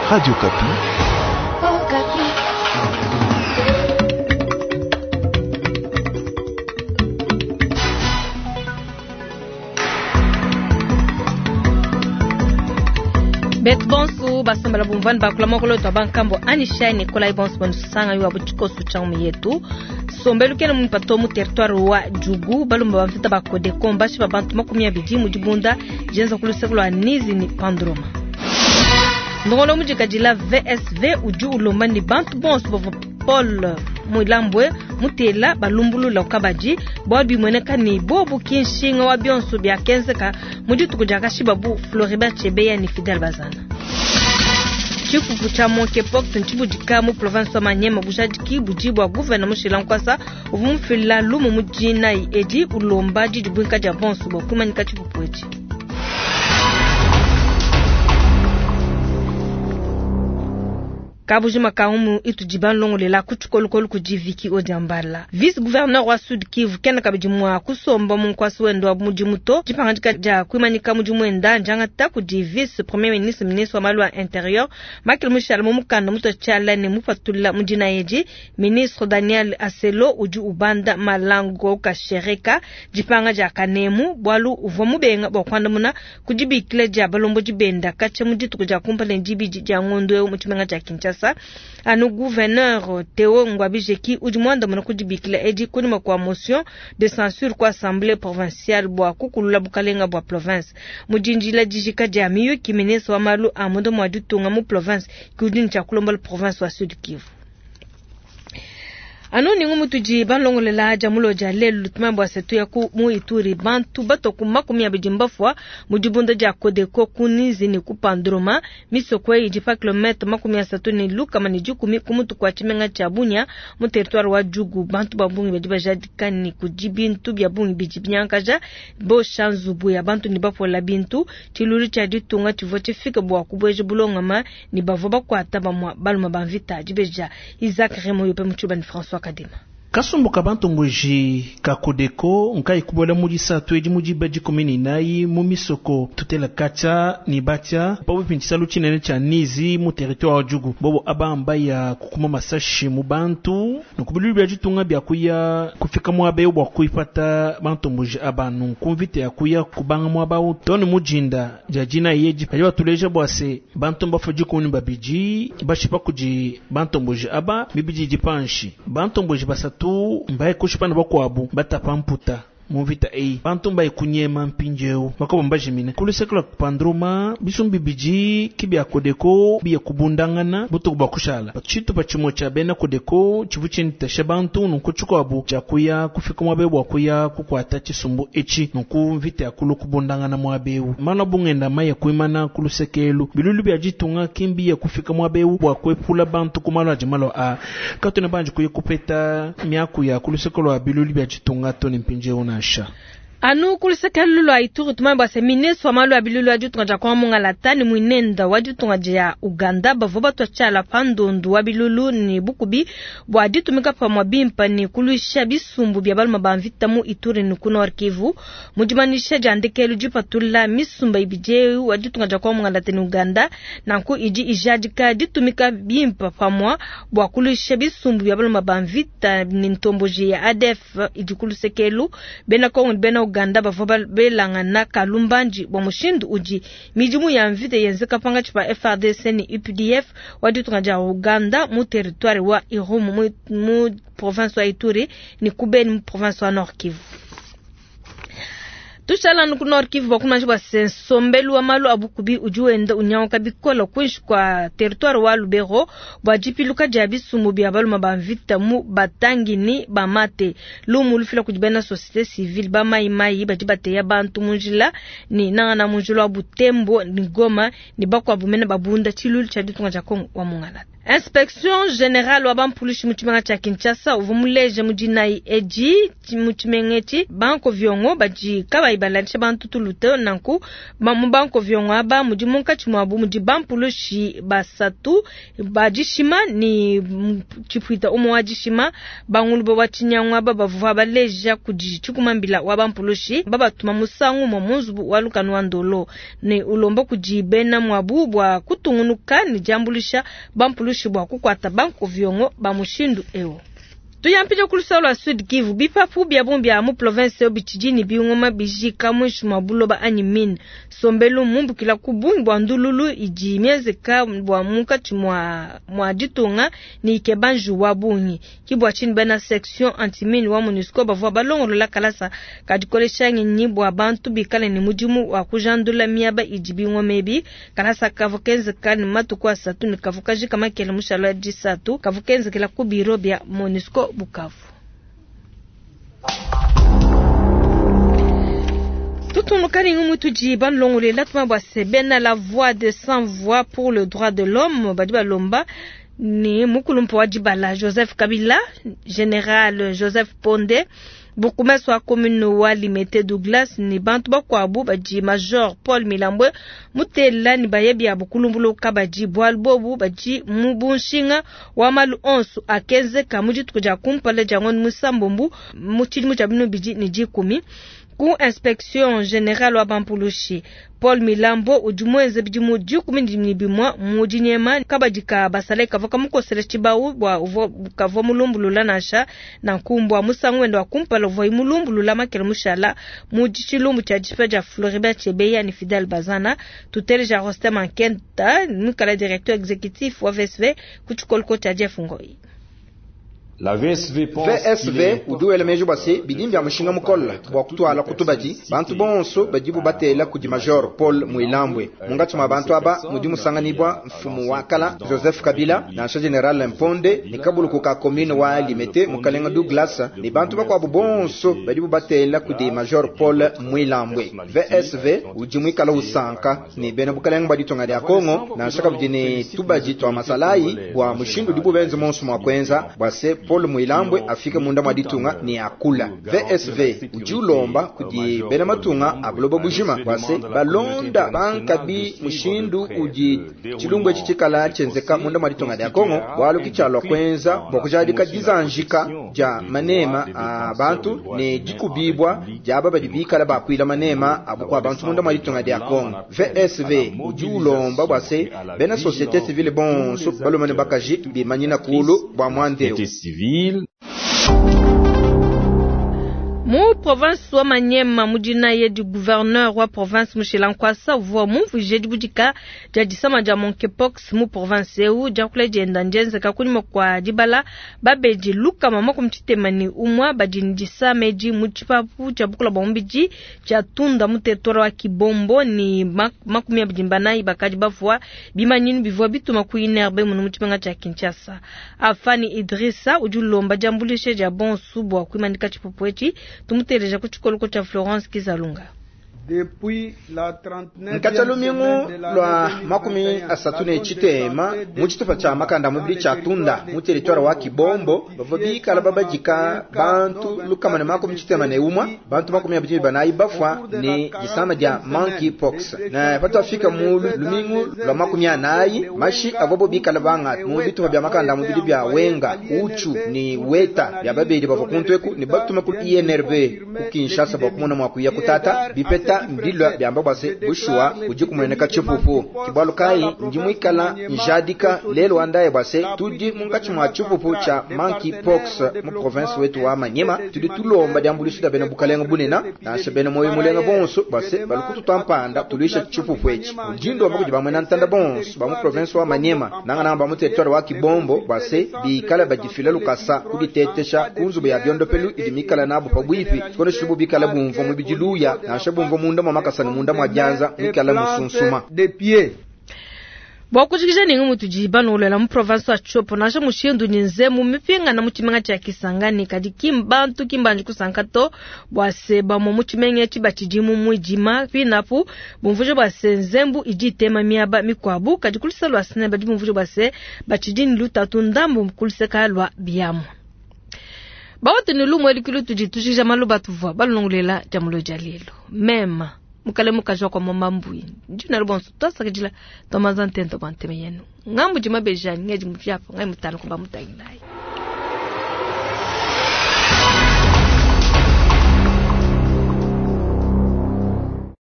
Radio Okapi. Betu bonsu basombela bumvani bakula mokolo twa bankambo anisha ne kolai bonsu banusanga yo abu tshikoso tshia mu yetu sombelu kena mumpato mu territoire wa Djugu balumba bamvita ba Codeco mbashi ba bantu 20 mu dibunda jenza ku luseke lwa Nizi ni Pandroma. Ndongolo mujikadila VSV udi ulomba ni bantu bonso bavua Paul Mwilambwe mutela balumbulula kabadi bwa bimweneka ni bobu kinshinga wa bionso bya kenzeka mu dituku dia kashibabu Floribert Chebeya ni Fidel Bazana. Tshifufu tshia monkeypox ntshibudika mu province wa Maniema bujadiki budi bua gouverneur Mushila Nkwasa uvua mufila lumu mu dinayi edi ulomba didibwinka dia bonso bua kumanyika tshifufu etshi. Kabujima kaumu itudi banlongolela ku tshikolokolo kudi Vicky Odiambala. Vice-gouverneur wa Sud Kivu kena kabidi mua kusomba mu nkwasi wende wa mudimu to. Dipangadika dia kuimanyika mudimu wenda ndiangata kudi vice premier ministre, ministre wa malu a intérieur Michael Mushala mu mukanda mutua tshiala ne mupatula mu dina edi. Ministre Daniel Aselo udi ubanda Malango Kashereka dipanga dia kanemu bualu uvua mubenga bua kuandamuna ku dibikila dia balombodi benda katshia mu dituku dia kumpala ne dibidi dia ngondo eu mu tshimenga tshia Kinshasa. Anu gouverneur Theo Ngwabijeki udi muandamuna ku dibikila edi kunyima kua motion de censure ku assemblée provinciale bua kukulula bukalenga bua province. Mu dindila dijika dia miyuki, ministre wa malu a munda mua ditunga mu province ki udi ne tshia kulombola province wa Sud Kivu. Anu ningu mutudi balongolela dia mulo dia lelu tumambo bua setu ya ku mu Ituri bantu batoku 20 mbafwa mu dibunda dia Codeco ku Nizi ne ku Pandroma misoko eyi idi pa kilomètre 310 ku mutu kua tshimenga tshia Bunia mu territoire wa Djugu. Bantu ba bungi badi bajadika ni kudi bintu bia bungi bidi binyankaja bosha nzubu ya bantu ne bapola bintu. Tshilulu tshia ditunga tshivua tshifike bua kubueja bulongama ne bavua bakuata bamua baluma ba mvita. Dibeja Isaac Remo yope mu tshiluba ne François Kadima. Kasumbu ka bantomboji ka Codeco nkai kubola mu disatu edi mu diba 14 mu misoko tutela katya ni batya pabupi ntshisalu tshinene tshia Nizi mu territoire wa Djugu. Bobo abamba ya kukuma masashi mu bantu nukubilulu bia ditunga bia kuya kufika muaba eu bua kuipata bantomboji aba nunku mvita ya kuya kubanga muaba eu tone mujinda dia dina yedi badi batuleja bua se bantu mbafa 12 bashipa kudi bantomboji aba mibidi dipanshi bantomboji basatu mbaye kushipana bakuabu batapa mputa mu mvita eyi bantu mbaye kunyema mpindieu bakoba mbajimine ku luseke lua Pandroma bisumbi bidi ki bia Codeco biya kubundangana butuku bua kushala tshitupa tshimue tshia bena Codeco tshivu tshintasha bantu nunku tshikuabu tshia kuya kufika muaba eu bua kuya kukuata tshisumbu etshi nunku mvita ya kulu kubundangana muaba eu malu abungenda mayi kuimana ku luseke elu bilulu bia ditunga kimbi ya kufika muaba eu bua kuepula bantu ku malu adi malu a katuna banji kuya kupeta miaku ya ku luseke lua bilulu bia ditunga to ne mpindieu nansha. Anu ku luseke lua Ituri tumambo bua se ministre wa malu a bilulu wa ditunga dia Kongo Mungalata ne mwinenda wa ditunga dia Uganda bavua batua tshiala pa ndondu wa bilulu ne bukubi bua ditumika pamue bimpa ne kuluisha bisumbu bia baluma ba mvita mu Ituri ne ku Nord Kivu. Mu dimanyisha dia ndekelu dipatula misumba ibidi eu wa ditunga dia Kongo Mungalata ne Uganda nanku idi ijadika ditumika bimpa pamue bua kuluisha bisumbu bia baluma ba mvita ne ntomboji ya ADF idi ku luseke elu. Bena Kongo ne bena Uganda bavua belangana kalumbandi bua mushindu udi midimu ya mvita yenzeka pangatshi pa FARDC ne UPDF wa ditunga dia Uganda mu territoire wa Irumu mu province wa Ituri ne ku Beni mu province wa Nord Kivu. Tushala ku Nord Kivu bua kumanya bua se nsombelu wa malu a bukubi udi wenda unyanguka bikole kuinshi kua territoire wa Lubero bua dipiluka dia bisumbu bia baluma ba mvita mu batangini ba mate. Lumu lufila kudi bena société civile ba mai mai badi bateya bantu mu njila ni nangana mu njila wa Butembo ni Goma ni bakuabu mene babunda tshilulu tshia ditunga dia Kongo wa Mungalata. Inspection Generale wa bampulushi mu tshimenga tshia Kinshasa uvua muleje mu dinayi edi mu tshimenga etshi bankoviongo badi kabayi baladisha bantu tulu to. Nanku mu bankoviongo aba mudi munkatshi muabu mudi bampulushi basatu ba dishima ne tshipuita umue wa dishima. Bangulube wa tshinyangu aba bavua baleja kudi tshikumambila wa bampulushi babatuma musangu umue mu nzubu wa lukanu wa Ndolo ne ulomba kudi bena muabu bua kutungunuka ne diambuluisha bampulushi bua kukuata bankoviongo ba mushindu eu. Tuyampije ku luseke lua Sud Kivu, bipapu bia bungi bia mu province eu bitshidi ne bingoma bijika muinshi mua buloba anyi mine. Nsombelu mmumbukila ku bungi bua ndululu idi mienzeka bua munkatshi mua ditunga ne ikeba njiwu wa bungi. Ke bua tshinyi bena section antimine wa MONUSCO bavua balongolola kalasa ka dikolesha ngenyi bua bantu bikale ne mudimu wa kujandula miaba idi bingoma ebi. Kalasa kavua kenzeka ne matuku asatu ne kavua kajika makele mushale wa disatu, kavua kenzekela ku biro bia MONUSCO Bukavu. Tutungunuka ne ngumu tudi balongolela tuma bua se bena la voix de sans voix pour le droit de l'homme badi balomba ne mukulumpa wa dibala Joseph Kabila, General Joseph Ponde, bourgmestre wa commune wa Limete Douglas ne bantu bakuabu badi Major Paul Milambwe mutela ne bayebi ya bukulumbulu kabadi bualu bobu badi mu bunshinga wa malu onso akenzeka mu dituku dia kumpala dia ngondo musambombu mu tshidimu tshia binu bidi ne dikumi. Ku inspection generale wa bampulushi Paul Milambo udi muenze bidimu 11 mu dinyema kabadi ka basale kavua kamukosela tshibawu bua uvua kavua mulumbulula nansha nanku mbua musangu wende wa kumpala uvua mulumbulula makele mushala mu tshilumbu tshia dishipa dia Floribert Chebeya ne Fidel Bazana. Tuteleja Rostem Ankenta muikala directeur exécutif wa VSV ku tshikoloko tshia Jeff Ngoi. La VSV VSV udi wela meji bua se bidi bia mushinga mukole bua kutuala kutubadi bantu bonso badibu batela kudi Major Paul Mwilambwe mungatshi mwa bantu aba mudi musanganibwa mfumu wa kala Joseph Kabila nansha General Mponde ne kabuluku ka commune wa Limete mukalenga Douglas ne bantu bakuabu bonso badibu batela kudi Major Paul Mwilambwe. VSV udi muikala usanka ne bena bukalenga bua ditunga dia Kongo nansha kabidi ne tubadi twa masalayi bua mushindu udibu benze monso mua kuenza bua se Paul Mwilambwe afike munda mwa ditunga ne akula. VSV udi ulomba kudi bena matunga a buloba bujima bua se balonda bankabi mushindu udi tshilumbu etshi tshikala tshenzeka munda mwa ditunga dia Kongo bualu kitshialua kuenza bua kujadika dizanjika dia manema a bantu ne dikubibwa dia aba badi bikala bakuila manema a bukua bantu munda mwa ditunga dia Kongo. VSV udi ulomba bua se bena société civile bonso balume ne bakaji bimanyina kulu bua muandeu. Civile. Mu province wa Maniema mudina ye du gouverneur wa province Mushila Nkwasa uvua mumvuije dibudika dia disama dia monkeypox mu province eu diakula dienda ndienzeka kunyima kua dibala babedi lukama makumi tshitema ne umua badi ne disama edi mu tshipapu tshia bukula bua mubidi tshia Tunda mu territoire wa Kibombo ne makumi abidi banayi bakadi bavua bimanyinu bivua bituma ku INRB munu mu tshimenga tshia Kinshasa. Afani Idrissa udi ulomba diambuluisha dia bonsu bua kuimanyika tshipupu etshi. Tumuteleja ku tshikoloko tshia Florence Kizalunga. Nkatshia lumingu lua 38 mu tshitupa tshia makanda mubidi tshia Tunda mu territoire wa Kibombo bavua bikala babadika bantu lukama ne 81 bantu 24 bafwa ne disama dia monkeypox. Na patwafika mu lumingu lua 40 mashi avua bikala banga mu bitupa bia makanda mubidi bia Wenga Uchu ni Weta bia babedi bavua kuntweku ne batuma ku INRB ku Kinshasa bua kumona mua kuya kutata bipeta mbilwa byamba bwase bushua udi kumueneka tshipupu kibwalu kai ndi muikala njadika lelo andaye bwase tudi munkatshi mwa tshipupu tsha monkeypox mu province wetu wa Maniema. Tudi tulomba diambuluisha dia bena bukalenga bunena nansha bena moyo mulenga bonso bwase balukutu twampanda tulisha tshipupu etshi ndindomba kudi bamwena ntanda bonso ba mu province wa Maniema nanga ba mu territoire wa Kibombo bwase bikala badifila lukasa kuditetesha kunzubu ya biondopelu idi mikala nabo pabwipi tshikondo tshibu bikala bumva mu bidiluya nansha bumva munda mwa makasa ne munda mwa dianza mikala musunsuma. Bua kujikija ne ngumu tudi balongolola mu province wa Tshopo, nansha mushindu ne nzembu mipingana mu tshimenga tshia Kisangani, kadi ki bantu ki mbanji kusanka to bua se bamue mu tshimenga etshi batshidi mu muidima. Pinapu bumvuija bua se nzembu idi itema miaba mikuabu, kadi ku luseke lua SNEL badi bumvuija bua se batshidi ne lutatu ndambu ku luseke lua biamu. Bawatu ne lumu elu tudi tujikija malu atuvua balongolola dia mulo dia lelu. Mema mukale mukaji wa kwa mama mbui ndi nalo bonso twasakidila twamaza ntento bwa nteme yenu ngambu dima bejani ngedi muvyapa ngai mutano kuba mutangilayi.